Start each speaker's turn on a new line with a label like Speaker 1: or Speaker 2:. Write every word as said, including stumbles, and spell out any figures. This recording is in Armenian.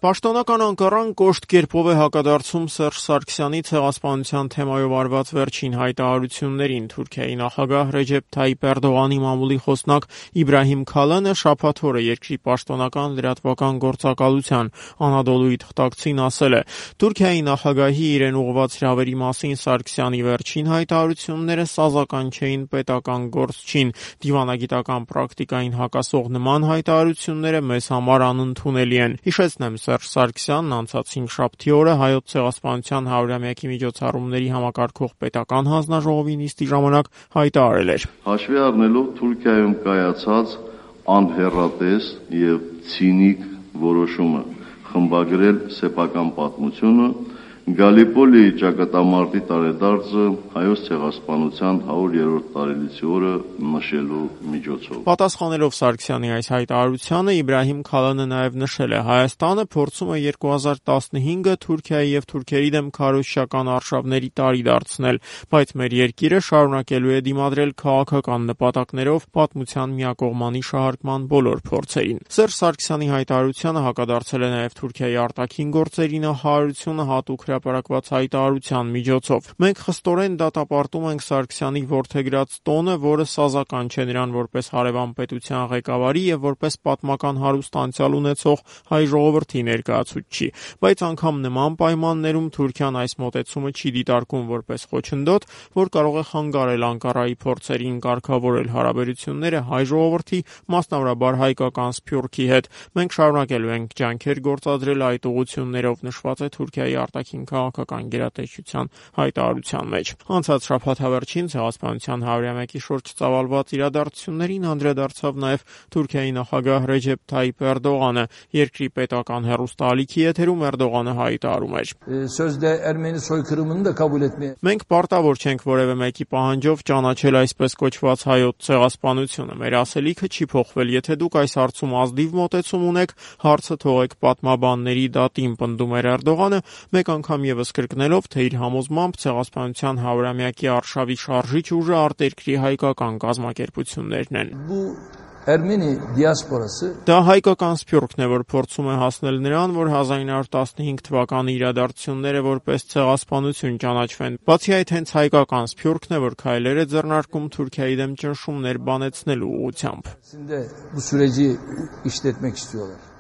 Speaker 1: Պաշտոնական Անկարան կոշտ կերպով է հակադարձում Սերժ Սարգսյանի ցեղասպանության թեմայով արված վերջին հայտարարություններին։ Թուրքիայի նախագահ Ռեջեփ Թայիփ Էրդողանի մամուլի խոսնակ Իբրահիմ Քալանը շաբաթ օրը երկրի պաշտոնական լրատվական գործակալության Անադոլուի թղթակցին ասել է. Թուրքիայի նախագահի իրեն ուղղված հրավերի մասին Սարգսյանի վերջին հայտարարությունները սազական չէին, պետական գործ չին, դիվանագիտական պրակտիկային հակասող նման հայտարարությունները մեզ համար անընդունելի են։ Հիշեցնեմ, Սերժ Սարգսյանն անցած հինգշաբթի օրը Հայոց ցեղասպանության հարյուրամյակի միջոցառումների համակարգող պետական հանձնաժողովի նիստի ժամանակ հայտարարել էր.
Speaker 2: Հաշվի առնելով Թուրքիայում կայացած անհեռատես եւ ցինիկ որոշումը խմբագրել սեփական պատմությունը, Գալիպոլի ճակատամարտի տարեդարձը Հայոց ցեղասպանության հարյուրերորդ տարելիցի օրը նշելու միջոցով։
Speaker 1: Պատասխանելով Սարգսյանի այս հայտարարությանը, Իբրահիմ Քալանը նաև նշել է. Հայաստանը փորձում է երկու հազար տասնհինգը Թուրքիայի եւ թուրքերի դեմ քարոզչական արշավների տարի դարձնել, բայց մեր երկիրը շարունակելու է դիմադրել քաղաքական նպատակներով պատմության միակողմանի շահարկման բոլոր փորձերին։ Սերժ Սարգսյանի հայտարարությանը հակադարձել է նաև Թուրքիայի արտաքին գործերի նախարարությունը հատուկ հրապարակված հայտարարության միջոցով։ Մենք խստորեն դատապարտում ենք Սարգսյանի որդեգրած տոնը, որը սազական չէ նրան որպես հարևան պետության ղեկավարի եւ որպես պատմական հարուստ անցյալ ունեցող հայ ժողովրդի ներկայացուցչի, բայց անգամ նման պայմաններում Թուրքիան այս մոտեցումը չի դիտարկում որպես խոչընդոտ, որ կարող է խանգարել Անկարայի փորձերին կարգավորել հարաբերությունները հայ ժողովրդի, մասնավորաբար հայկական սփյուռքի հետ։ Մենք շարունակելու ենք ջանքեր գործադրել այդ ուղղություններով, նշված է Թուրքիայի արտաքին քաղաքական գերատեսչության հայտարարության մեջ։ Անցած շաբաթավերջին ցեղասպանության հարյուրամյակի շուրջ ծավալված իրադարձություններին անդրադարձավ նաև Թուրքիայի նախագահ Ռեջեփ Թայիփ Էրդողանը։ Երկրի պետական հեռուստաալիքի եթերում Էրդողանը հայտարարում էր. Մենք պարտավոր չենք որևէ մեկի պահանջով ճանաչել այսպես կոչված հայոց ցեղասպանությունը։ Մեր ասելիքը չի փոխվել։ Եթե դուք այս հարցում ազնիվ մոտեցում ունեք, հարցը թողեք պատմաբանների դատին, պնդում էր Էրդողանը, մեկ անգամ եւս կրկնելով, թե իր համոզմամբ ցեղասպանության հարյուրամյակի արշավի շարժիչ ուժը արտերկրի հայկական կազմակերպություններն են։
Speaker 3: Ermeni դիասպորасы
Speaker 1: Դա հայկական սփյուռքն է, որ փորձում է հասնել նրան, որ հազար ինը հարյուր տասնհինգ թվականի իրադարձությունները որպես ցեղասպանություն ճանաչվեն։ Բացի այդ, հենց հայկական սփյուռքն է, որ քայլեր է ձեռնարկում Թուրքիայի դեմ ճնշումներ բանեցնելու ուղղությամբ։
Speaker 3: Bu süreci işletmek istiyorlar.